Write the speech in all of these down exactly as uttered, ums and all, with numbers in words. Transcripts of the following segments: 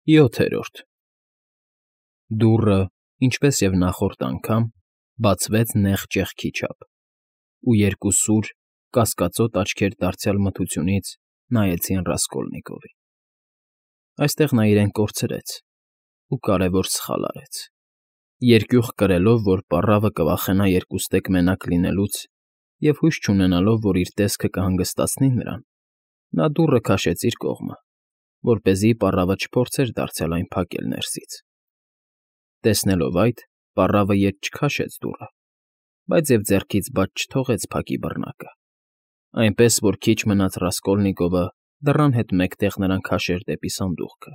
ՅՈԹԵՐՈՐԴ Դուռը, ինչպես և նախորդ անգամ, բացվեց նեղ ճեղքի չափ, ու երկու սուր, կասկածոտ աչքեր դարձյալ մթությունից նայեցին Ռասկոլնիկովին. այստեղ նա իրեն կորցրեց ու կարևոր սխալ արեց. երկյուղ կրելով, որ պառավը կվախենա երկուստեք մենակ լինելուց և հույս չունենալով, որ իր տեսքը կհանգստացնի նրան, նա դուռը քաշեց իր կողմը, որպեսզի պառավը չփորձեր դարձյալ այն փակել ներսից. տեսնելով այդ, պառավը ետ չքաշեց դուռը, բայց և ձեռքից բաց չթողեց փակի բռնակը, այնպես որ քիչ մնաց Ռասկոլնիկովը դռան հետ մեկտեղ նրան քաշեր դեպի սանդուղքը.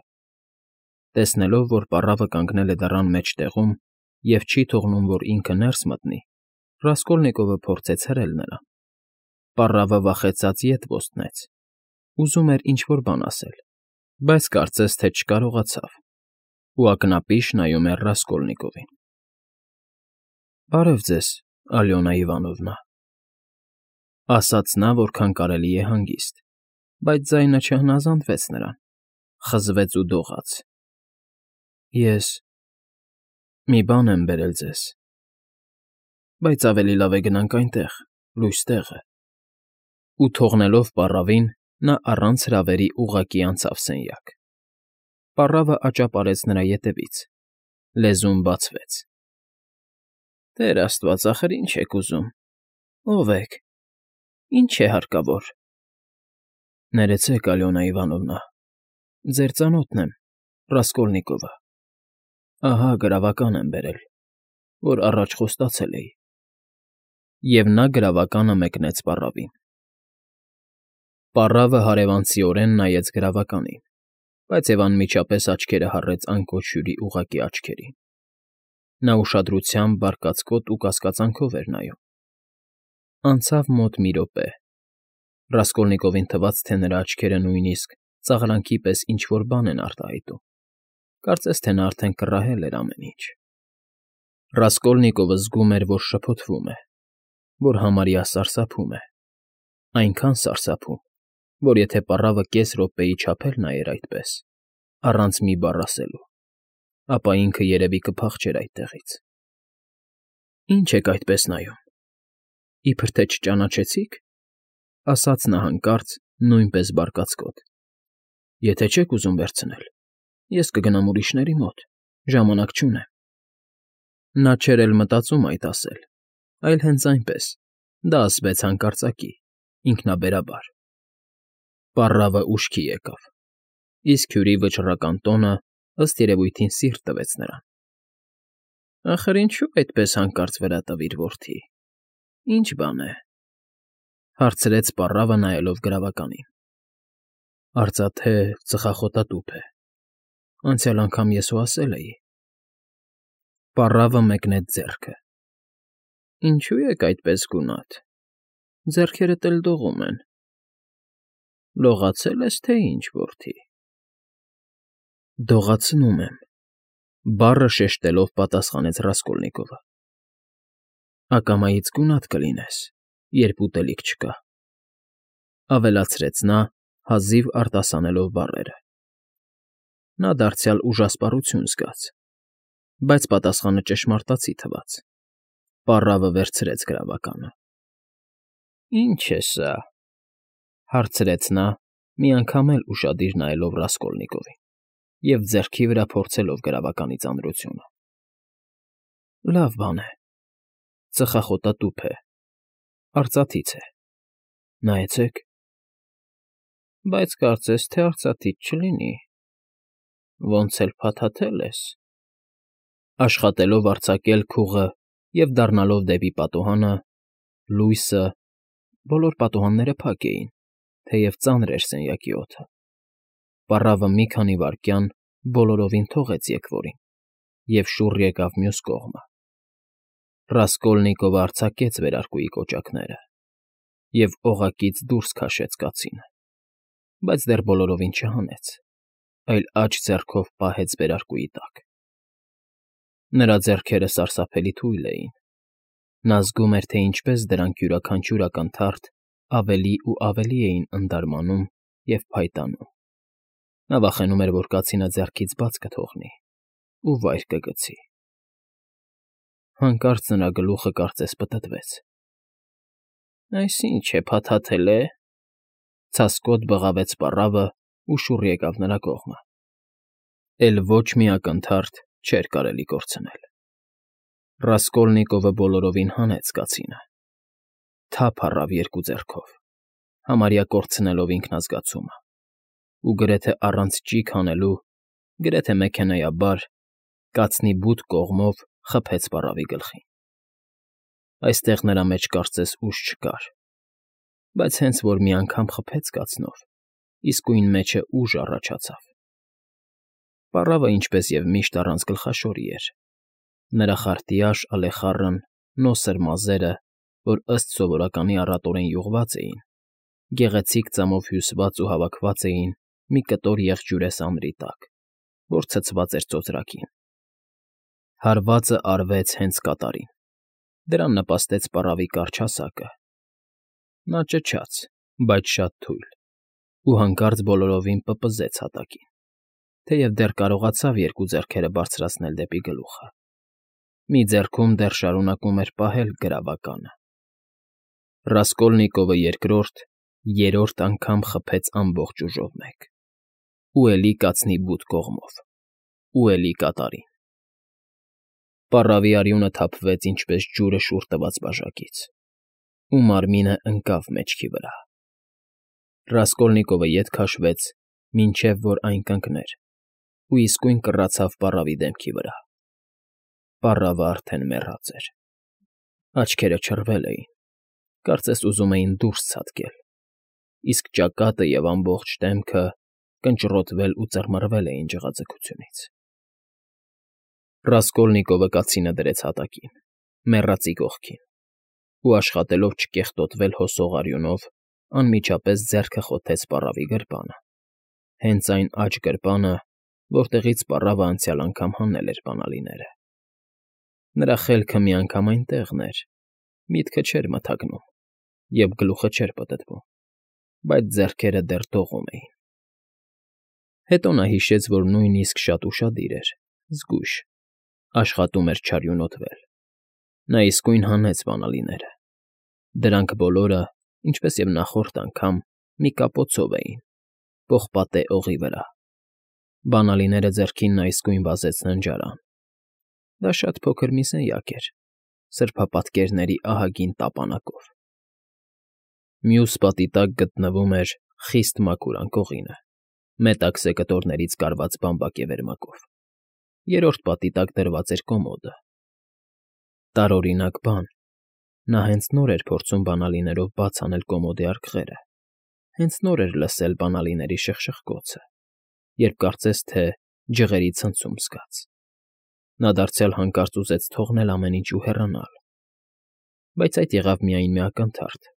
տեսնելով, որ պառավը կանգնել է դռան մեջտեղում և չի թողնում, որ ինքը ներս մտնի, Ռասկոլնիկովը փորձեց հրել նրան. պառավը վախեցած ետ ոստնեց, ուզում էր ինչ֊որ բան ասել, բայց կարծես թե չկարողացավ ու ակնապիշ նայում էր Ռասկոլնիկովին։ ֊ Բարև ձեզ, Ալյոնա Իվանովնա,֊ ասաց նա որքան կարելի է հանգիստ, բայց ձայնը չհնազանդվեց նրան, խզվեց ու դողաց,֊ ես… մի բան եմ բերել ձեզ, բայց ավելի լավ է գնանք այնտեղ, լույս տեղը…֊ Ու թողնելով պառավին, նա առանց հրավերի ուղղակի անցավ սենյակ. պառավը աճապարեց նրա ետևից, լեզուն բացվեց. ֊ Տեր աստված, ախր ինչ եք ուզում, ո՞վ եք, ի՞նչ է հարկավոր… ֊ Ներեցեք, Ալյոնա Իվանովնա, ձեր ծանոթն եմ, Ռասկոլնիկովը… Ահա գրավական եմ բերել, որ առաջ խոստացել էի… Եվ նա գրավականը մեկնեց պառավին։ Պառավը հարևանցիորեն նայեց գրավականին, բայց և անմիջապես աչքերը հառեց Անկոչ Հյուրի ուղղակի աչքերին. նա ուշադրությամբ, բարկացկոտ ու կասկածանքով էր նայում։ Անցավ մոտ մի րոպե… Ռասկոլնիկովին թվաց, թե նրա աչքերը նույնիսկ ծաղրանքի պես ինչ֊որ բան են արտահայտում, կարծես թե նա արդեն կռահել էր ամեն ինչ… Ռասկոլնիկովը զգում էր, որ շփոթվում է, որ համարյա սարսափում է, այնքան սարսափում, որ եթե պառավը կես րոպեի չափ էլ նայեր այդպես, առանց մի բառ ասելու, ապա ինքը երևի կփախչեր այդտեղից։ ֊ Ի՞նչ եք այդպես նայում, իբր թե չճանաչեցի՞ք,֊ ասաց նա հանկարծ, նույնպես բարկացկոտ։֊ Եթե չեք ուզում վերցնել, ես կգնամ ուրիշների մոտ, ժամանակ չունեմ… Նա չէր էլ մտածում այդ ասել, այլ հենց այնպես, դա ասվեց հանկարծակի, ինքնաբերաբար։ Պառավը ուշքի եկավ, իսկ Հյուրի վճռական տոնը, ըստ երևույթին, սիրտ տվեց նրան։ ֊ Ախր ինչո՞ւ այդպես հանկարծ վրա տվիր, որդի, ի՞նչ բան է,֊ հարցրեց պառավը, նայելով գրավականին։ ֊ Արծաթե, ծխախոտատուփ է, անցյալ անգամ ես հո ասել էի… Պառավը մեկնեց ձեռքը։ ֊ Ինչո՞ւ եք այդպես գունատ, ձեռքերդ էլ դողում են… Լողացե՞լ ես, թե ինչ, որդի… ֊ Դողացնում եմ,֊ բառը շեշտելով պատասխանեց Ռասկոլնիկովը։ ֊ Ակամայից գունատ կլինես, երբ ուտելիք չկա,֊ ավելացրեց նա, հազիվ արտասանելով բառերը։ Նա դարձյալ ուժասպառություն զգաց, բայց պատասխանը ճշմարտացի թվաց։ Պառավը վերցրեց գրավականը։ ֊ Ի՞նչ է սա,֊ հարցրեց նա, մի անգամ էլ ուշադիր նայելով Ռասկոլնիկովին և ձեռքի վրա փորձելով գրավականի ծանրությունը։ ֊ Լավ բան է, ծխախոտատուփ է, արծաթից է, նայեցեք… Բայց կարծես թե արծաթից չլինի, ոնց էլ փաթաթել ես… Աշխատելով արձակել քուղը և դառնալով դեպի պատուհանը, լույսը… բոլոր պատուհանները փակ էին, թեև ծանր էր սենյակի օդը… Պառավը մի քանի վայրկյան բոլորովին թողեց եկվորին և շուռ եկավ մյուս կողմը։ Ռասկոլնիկովը արձակեց վերարկուի կոճակները և օղակից դուրս քաշեց կացինը, բայց դեռ բոլորովին չհանեց, այլ աջ ձեռքով պահեց վերարկուի տակ։ Նրա ձեռքերը սարսափելի թույլ էին… Նա զգում էր, թե ինչպես դրանք յուրաքանչյուր ակնթարթ ավելի ու ավելի էին ընդարմանում և փայտանում։ Նա վախենում էր, որ կացինը ձեռքից բաց կթողնի ու վայր կգցի։ Հանկարծ նրա գլուխը կարծես պտտվեց։ «Այս ի՞նչ է, փաթաթել է,֊ ցասկոտ բղավեց պառավն ու շուռ եկավ նրա կողմը։ Էլ ոչ մի ակնթարթ չէր կարելի կորցնել։ Ռասկոլնիկովը բոլորովին հանեց կացինը, թափ առավ երկու ձեռքով, համարյա կորցնելով ինքնազգացումը, ու գրեթե առանց ճիգ հանելու, գրեթե մեքենայաբար, կացնի բութ կողմով խփեց պառավի գլխին։ Այստեղ նրա մեջ կարծես ուժ չկար, բայց հենց որ մի անգամ խփեց կացնով, իսկույն մեջը ուժ առաջացավ։ Պառավը, ինչպես և միշտ, առանց գլխաշորի էր։ Նրա խարտիաշ ալեխառն նոսր մազերը, որ ըստ սովորականի առատորեն յուղված էին, գեղեցիկ ծամով հյուսված ու հավաքված էին մի կտոր եղջյուրես ամրի տակ, որ ցցված էր ծոծրակին։ Հարվածը արվեց հենց կատարին, դրան նպաստեց պառավի կարճ հասակը։ Նա ճչաց, բայց շատ թույլ, ու հանկարծ բոլորովին պպզեց հատակին, թեև դեռ կարողացավ երկու ձեռքերը բարձրացնել դեպի գլուխը։ Մի ձեռքում դեռ շարունակում էր պահել գրավականը։ Ռասկոլնիկովը երկրորդ, երրորդ անգամ խփեց ամբողջ ուժով մեկ, ու էլի կացնի բութ կողմով, ու էլի կատարին։ Պառավի արյունը թափվեց ինչպես ջուրը շուռ տված բաժակից, ու մարմինը ընկավ մեջքի վրա։ Ռասկոլնիկովը ետ քաշվեց, մինչև որ այն կընկներ, ու իսկույն կռացավ պառավի դեմքի վրա։ Պառավը արդեն մեռած էր։ Աչքերը չռվել էին, կարծես ուզում էին դուրս ցատկել, իսկ ճակատը և ամբողջ դեմքը կնճռոտվել ու ծռմռվել էին ջղաձգությունից։ Ռասկոլնիկովը կացինը դրեց հատակին, մեռածի կողքին, ու աշխատելով չկեղտոտվել հոսող արյունով, անմիջապես ձեռքը խոթեց պառավի գրպանը, հենց այն աջ գրպանը, որտեղից պառավը անցյալ անգամ հանել էր բանալիները։ Նրա խելքը միանգամայն տեղն էր, միտքը չէր մթագնում, և գլուխը չէր պտտվում, բայց ձեռքերը դեռ դողում էին։ Հետո նա հիշեց, որ նույնիսկ շատ ուշադիր էր, զգույշ, աշխատում էր չարյունոտվել։ Նա իսկույն հանեց բանալիները։ Դրանք բոլորը, ինչպես և նախորդ անգամ, մի կապոցով էին, պողպատե օղի վրա։ Բանալիները ձեռքին նա իսկույն վազեց ննջարան։ Դա շատ փոքր մի սենյակ էր, սրբապատկերների ահագին տապանակով։ Մյուս պատի տակ գտնվում էր խիստ մաքուր անկողինը, մետաքսե կտորներից կարված բամբակե վերմակով, երրորդ պատի տակ դրված էր կոմոդը։ Տարօրինակ բան, նա հենց նոր էր փորձում բանալիներով բաց անել կոմոդի արկղերը, հենց նոր էր լսել բանալիների շխշխկոցը, երբ կարծես թե ջղերի ցնցում զգաց։ Նա դարձյալ հանկարծ ուզեց թողնել ամեն ինչ ու հեռանալ, բայց այդ եղավ միայն մի ակնթարթ.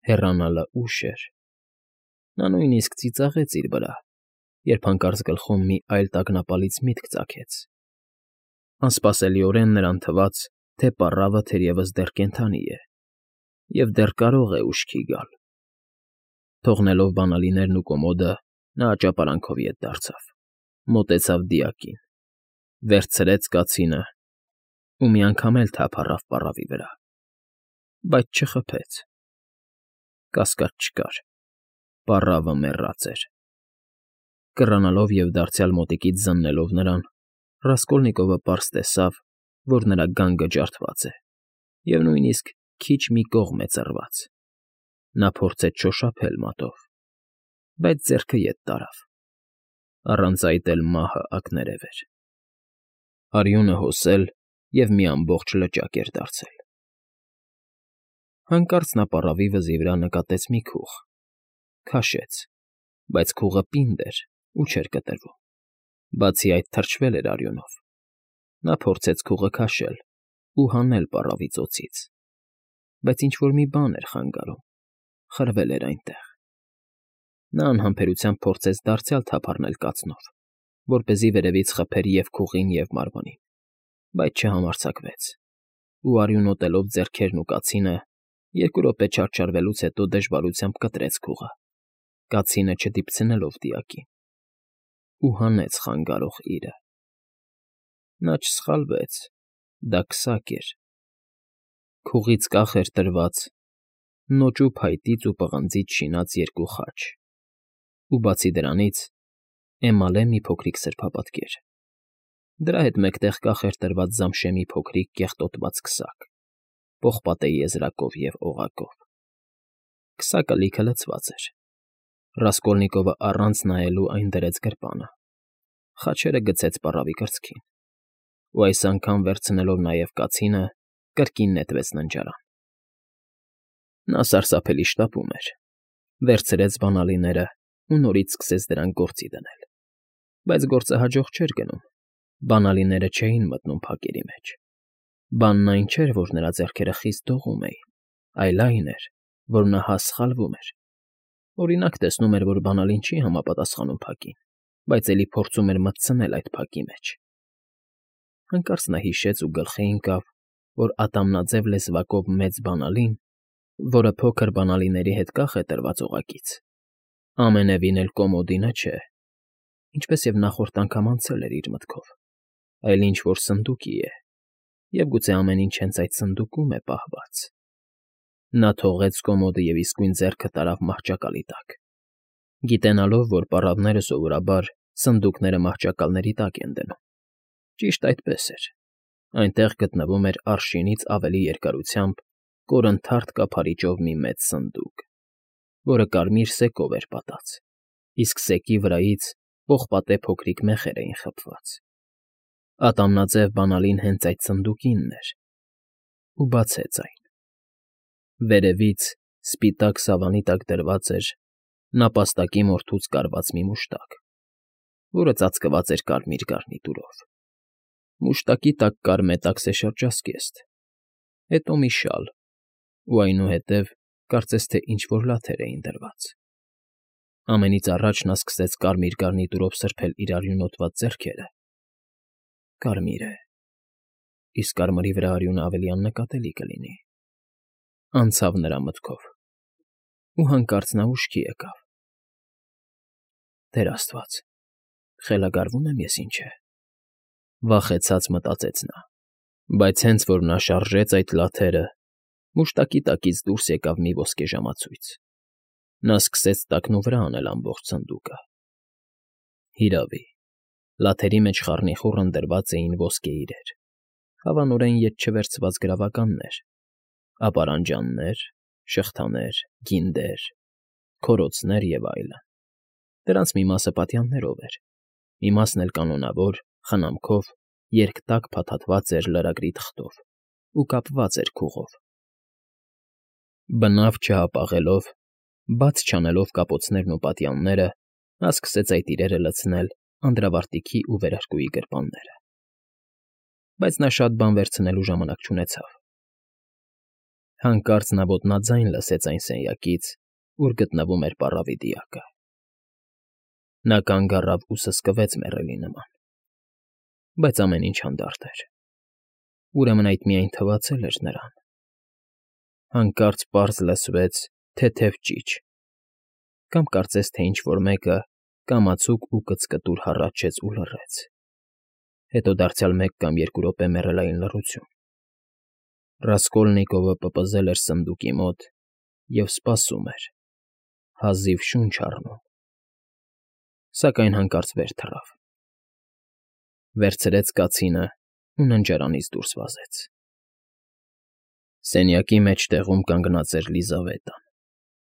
հեռանալը ուշ էր։ Նա նույնիսկ ծիծաղեց իր վրա, երբ հանկարծ գլխում մի այլ տագնապալից միտք ծագեց։ Անսպասելիորեն նրան թվաց, թե պառավը թերևս դեռ կենդանի է և դեռ կարող է ուշքի գալ։ Թողնելով բանալիներն ու կոմոդը, նա աճապարանքով ետ դարձավ, մոտեցավ դիակին, վերցրեց կացինը ու մի անգամ էլ թափ առավ պառավի վրա, բայց չխփեց։ Կասկած չկար, պառավը մեռած էր։ Կռանալով և դարձյալ մոտիկից զննելով նրան, Ռասկոլնիկովը պարզ տեսավ, որ նրա գանգը ջարդված է և նույնիսկ քիչ մի կողմ է ծռված։ Նա փորձեց շոշափել մատով, բայց ձեռքը ետ տարավ։ Առանց այդ էլ մահը ակներև էր։ Արյունը հոսել և մի ամբողջ լճակ էր դարձել։ Հանկարծ նա պառավի վզի վրա նկատեց մի քուղ։ Քաշեց, բայց քուղը պինդ էր ու չէր կտրվում, բացի այդ թրջվել էր արյունով։ Նա փորձեց քուղը քաշել ու հանել պառավի ծոցից, բայց ինչ֊որ մի բան էր խանգարում, խրվել էր այնտեղ։ Նա անհամբերությամբ փորձեց դարձյալ թափ առնել կացնով, որպեսզի վերևից խփեր և քուղին, և մարմնին, բայց չհամարձակվեց, ու արյունոտելով ձեռքերն ու կացինը, երկու րոպե չարչարվելուց հետո դժվարությամբ կտրեց քուղը, կացինը չդիպցնելով դիակին։ ու հանեց խանգարող իրը։ Նա չսխալվեց, դա քսակ էր, քուղից կախ էր տրված, նոճու փայտից ու պղնձից շինած երկու խաչ, ու բացի դրանից էմալե մի փոքրիկ սրբապատկեր, դրա հետ մեկտեղ կախ էր տրված զամշե մի փոքրիկ կեղտոտված քսակ, պողպատե եզրակով և օղակով։ Քսակը լիքը լցված էր։ Ռասկոլնիկովը առանց նայելու այն դրեց գրպանը, խաչերը գցեց պառավի կրծքին, ու այս անգամ վերցնելով նաև կացինը, կրկին նետվեց ննջարան։ Նա սարսափելի շտապում էր, վերցրեց բանալիները ու նորից սկսեց դրանք գործի դնել, բայց գործը հաջող չէր գնում, բանալիները չէին մտնում փակերի մեջ։ Բանն այն չէր, որ նրա ձեռքերը խիստ դողում էին, այլ այն էր, որ նա հա սխալվում էր։ Օրինակ, տեսնում էր, որ բանալին չի համապատասխանում փակին, բայց էլի փորձում էր մտցնել այդ փակի մեջ։ Հանկարծ նա հիշեց ու գլխի ընկավ, որ ատամնաձև լեզվակով մեծ բանալին, որը փոքր բանալիների հետ կախ է տրված օղակից, ամենևին էլ կոմոդինը չէ, ինչպես և նախորդ անգամ անցել էր իր մտքով, այլ ինչ֊որ սնդուկի է, և գուցե ամեն ինչ հենց այդ սնդուկում է պահված։ Նա թողեց կոմոդը և իսկույն ձեռքը տարավ մահճակալի տակ, գիտենալով, որ պառավները սովորաբար սնդուկները մահճակալների տակ են դնում։ Ճիշտ այդպես էր, այնտեղ գտնվում էր արշինից ավելի երկարությամբ կորնթարթ կափարիչով մի մեծ սնդուկ, որը կարմիր սեկով էր պատած, իսկ սեկի վրայից պողպատե փոքրիկ մեխեր էին խփված։ Ատամնաձև բանալին հենց այդ սնդուկինն էր, ու բացեց այն։ Վերևից, սպիտակ սավանի տակ դրված էր նապաստակի մորթուց կարված մի մուշտակ, որը ծածկված էր կարմիր գարնիտուրով։ Մուշտակի տակ կար մետաքսե շրջազգեստ, հետո մի շալ, ու այնուհետև կարծես թե ինչ֊որ լաթեր էին դրված։ Ամենից առաջ նա սկսեց կարմիր գարնիտուրով սրբել իր արյունոտված ձեռքերը։ Կարմիր է, իսկ կարմրի վրա արյունը ավելի աննկատելի կլինի, անցավ նրա մտքով, ու հանկարծ նա ուշքի եկավ։ Տեր աստված, խելագարվո՞ւմ եմ ես ինչ է, վախեցած մտածեց նա, բայց հենց որ նա շարժեց այդ լաթերը, մուշտակի տակից դուրս եկավ մի ոսկե ժամացույց։ Նա սկսեց տակնուվրա անել ամբողջ սնդուկը։ Հիրավի, լաթերի մեջ խառնիխուռն դրված էին ոսկե իրեր, հավանորեն ետ չվերցված գրավականներ, ապարանջաններ, շղթաներ, գինդեր, քորոցներ և այլն։ Դրանց մի մասը պատյաններով էր, մի մասն էլ կանոնավոր, խնամքով, երկտակ փաթաթված էր լրագրի թղթով ու կապված էր քուղով։ Բնավ չհապաղելով, բաց չանելով կապոցներն ու պատյանները, նա սկսեց այդ իրերը լցնել անդրավարտիքի ու վերարկուի գրպանները։ Բայց նա շատ բան վերցնելու ժամանակ չունեցավ։ Հանկարծ նա ոտնաձայն լսեց այն սենյակից, ուր գտնվում էր պառավի դիակը։ Նա կանգ առավ ու սսկվեց մեռելի նման, բայց ամեն ինչ հանդարտ էր։ Ուրեմն այդ միայն թվացել էր նրան։ Հանկարծ պարզ լսվեց թեթև ճիչ, կամ կարծես թե ինչ֊որ մեկը կամացուկ ու կծկտուր հառաչեց ու լռեց, հետո դարձյալ մեկ կամ երկու րոպե մեռելային լռություն։ Ռասկոլնիկովը պպզել էր սնդուկի մոտ և սպասում էր, հազիվ շունչ առնում, սակայն հանկարծ վեր թռավ, վերցրեց կացինը ու ննջարանից դուրս վազեց։ Սենյակի մեջտեղում կանգնած էր Լիզավետան,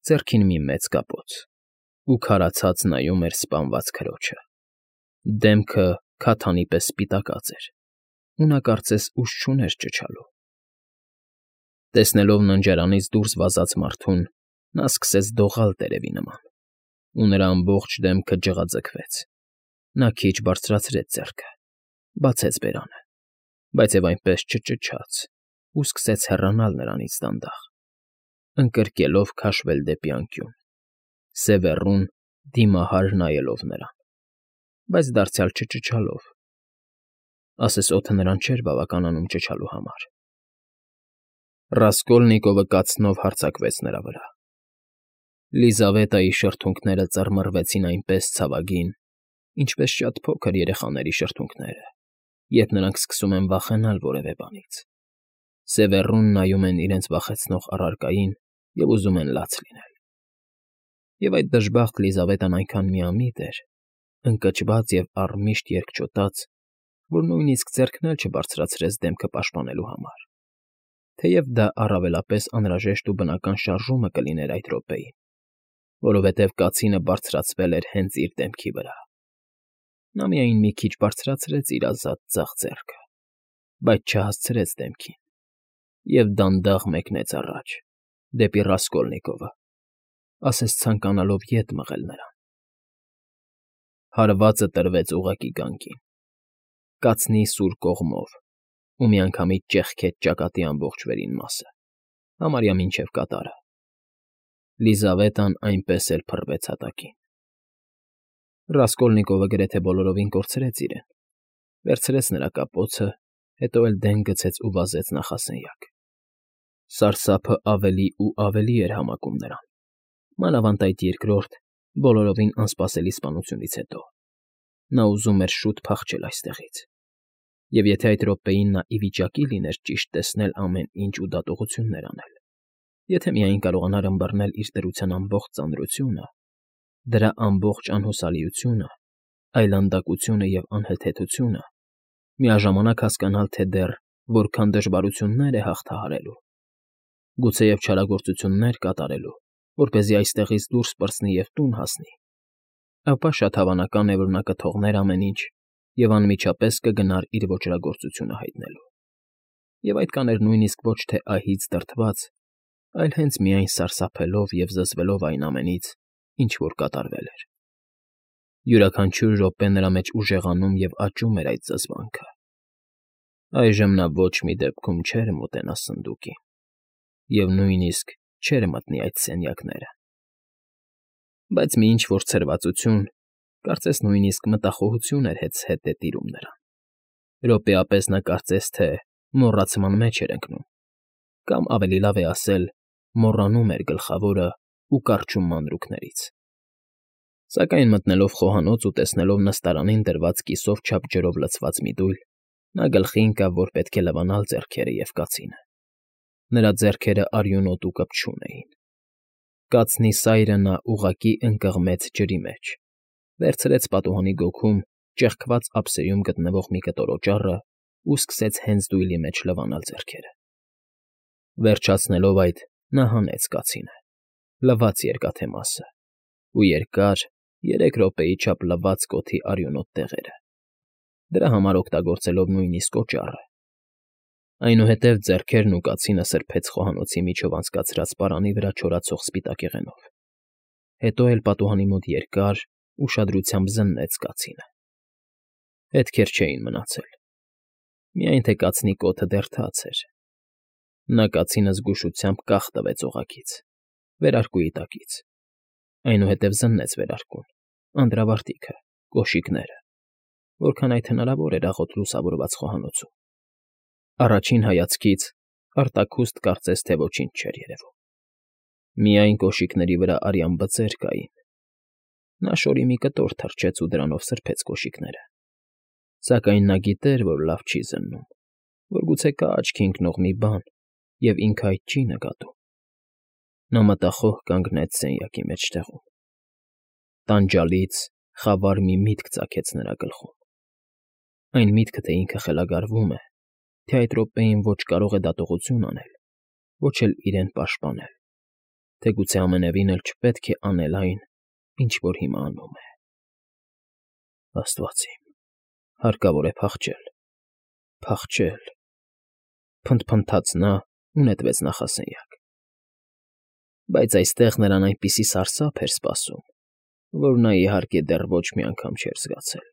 ձեռքին մի մեծ կապոց, ու քարացած նայում էր սպանված քրոջը։ Դեմքը քաթանի պես սպիտակած էր, ու նա կարծես ուժ չուներ ճչալու։ Տեսնելով ննջարանից դուրս վազած մարդուն, նա սկսեց դողալ տերևի նման, ու նրա ամբողջ դեմքը ջղաձգվեց։ Նա քիչ բարձրացրեց ձեռքը, բացեց բերանը, բայց և այնպես չճչաց ու սկսեց հեռանալ նրանից դանդաղ, ընկրկելով քաշվել դեպի անկյուն, սևեռուն դիմահար նայելով նրան, բայց դարձյալ չճչալով, ասես օդը նրան չէր բավականանում ճչալու համար։ Ռասկոլնիկովը կացնով հարձակվեց նրա վրա։ Լիզավետայի շրթունքները ծռմռվեցին այնպես ցավագին, ինչպես շատ փոքր երեխաների շրթունքները, երբ նրանք սկսում են վախենալ որևէ բանից, սևեռուն նայում են իրենց վախեցնող առարկային և ուզում են լաց լինել։ Եվ այդ դժբախտ Լիզավետն այնքան միամիտ էր, ընկճված և առմիշտ երկչոտած, որ նույնիսկ ձեռքն էլ չբարձրացրեց դեմքը պաշտպանելու համար, թեև դա առավելապես անհրաժեշտ ու բնական շարժումը կլիներ այդ րոպեին, որովհետև կացինը բարձրացվել էր հենց իր դեմքի վրա։ Նա միայն մի քիչ բարձրացրեց իր ազատ ձախ ձեռքը, բայց չհասցրեց դեմքին, և դանդաղ մեկնեց առաջ, դեպի Ռասկոլնիկովը, ասես ցանկանալով ետ մղել նրան։ Հարվածը տրվեց ուղղակի գանգին, կացնի սուր կողմով ու միանգամից ճեղքեց ճակատի ամբողջ վերին մասը, համարյա մինչև կատարը։ Լիզավետան այնպես էլ փռվեց հատակին։ Ռասկոլնիկովը գրեթե բոլորովին կորցրեց իրեն, վերցրեց նրա կապոցը, հետո էլ դեն գցեց ու վազեց նախասենյակ։ Սարսափը ավելի ու ավելի էր համակում նրան, մանավանդ այդ երկրորդ, բոլորովին անսպասելի սպանությունից հետո։ Նա ուզում էր շուտ փախչել այստեղից, և եթե այդ րոպեին նա ի վիճակի լիներ ճիշտ տեսնել ամեն ինչ ու դատողություններ անել, եթե միայն կարողանար ըմբռնել իր դրության ամբողջ ծանրությունը, դրա ամբողջ անհուսալիությունը, այլանդակությունը և անհեթեթությունը, միաժամանակ հասկանալ, թե դեռ որքան դժվարություններ է հաղթահարելու, գուցեև չարագործություններ կատարելու, որպեսզի այստեղից դուրս պրծնի և տուն հասնի, ապա շատ հավանական է, որ նա կթողներ ամեն ինչ և անմիջապես կգնար իր ոճրագործությունը հայտնելու։ Եվ այդ կաներ նույնիսկ ոչ թե ահից դրդված, այլ հենց միայն սարսափելով և զզվելով այն ամենից, ինչ որ կատարվել էր։ Յուրաքանչյուր րոպե նրա մեջ ուժեղանում և աճում էր այդ զզվանքը։ Այժմ նա ոչ մի դեպքում չէր մոտենա սնդուկին և նույնիսկ չէր մտնի այդ սենյակները։ Բայց մի ինչ֊որ ցրվածություն, կարծես նույնիսկ մտախոհություն էր հետզհետե տիրում նրան։ Րոպեապես նա կարծես թե մոռացման մեջ էր ընկնում, կամ, ավելի լավ է ասել, մոռանում էր գլխավորն ու կառչում մանրուքներից։ Սակայն մտնելով խոհանոց ու տեսնելով նստարանին դրված կիսով չափ ջրով լցված մի դույլ, նա գլխի ընկավ, որ պետք է լվանալ ձեռքերը և կացինը։ Նրա ձեռքերը արյունոտ ու կպչուն էին։ Կացնի սայրը նա ուղղակի ընկղմեց ջրի մեջ, վերցրեց պատուհանի գոգում ճեղքված ափսեում գտնվող մի կտոր օճառն ու սկսեց հենց դույլի մեջ լվանալ ձեռքերը։ Վերջացնելով այդ, նա հանեց կացինը, լվաց երկաթե մասը ու երկար, երեք րոպեի չափ լվաց կոթի արյունոտ տեղերը, դրա համար օգտագործելով նույնիսկ օճառը։ Այնուհետև ձեռքերն ու կացինը սրբեց խոհանոցի միջով անցկացրած պարանի վրա չորացող սպիտակեղենով, հետո էլ պատուհանի մոտ երկար, ուշադրությամբ զննեց կացինը։ Հետքեր չէին մնացել, միայն թե կացնի կոթը դեռ թաց էր։ Նա կացինը զգուշությամբ կախ տվեց օղակից, վերարկուի տակից, այնուհետև զննեց վերարկուն, անդրավարտիքը, կոշիկները, որքան այդ հնարավոր էր աղոտ լուսավորված խոհանոցում։ Առաջին հայացքից արտաքուստ կարծես թե ոչինչ չէր երևում։ Միայն կոշիկների վրա արյան բծեր կային։ Նա շորի մի կտոր թռչեց ու դրանով սրբեց կոշիկները։ Սակայն նա գիտեր, որ լավ չի զննում, որ գուցե կա աչքի ընկնող մի բան, և ինքը այդ չի նկատում։ Նա մտախոհ կանգնեց սենյակի մեջտեղում։ Տանջալից խավար մի միտք ծագեց նրա գլխում։ Այն միտքը, թե ինքը խելագարվում է, թե այդ րոպեին ոչ կարող է դատողություն անել, ոչ էլ իրեն պաշտպանել, թե գուցե ամենևին էլ չպետք է անել այն, ինչ որ հիմա անում է։ Աստված իմ, հարկավոր է փախչել, փախչել, փնթփնթաց նա ու նետվեց նախասենյակ։ Բայց այստեղ նրան այնպիսի սարսափ էր սպասում, որ նա, իհարկե, դեռ ոչ մի անգամ չէր զգացել։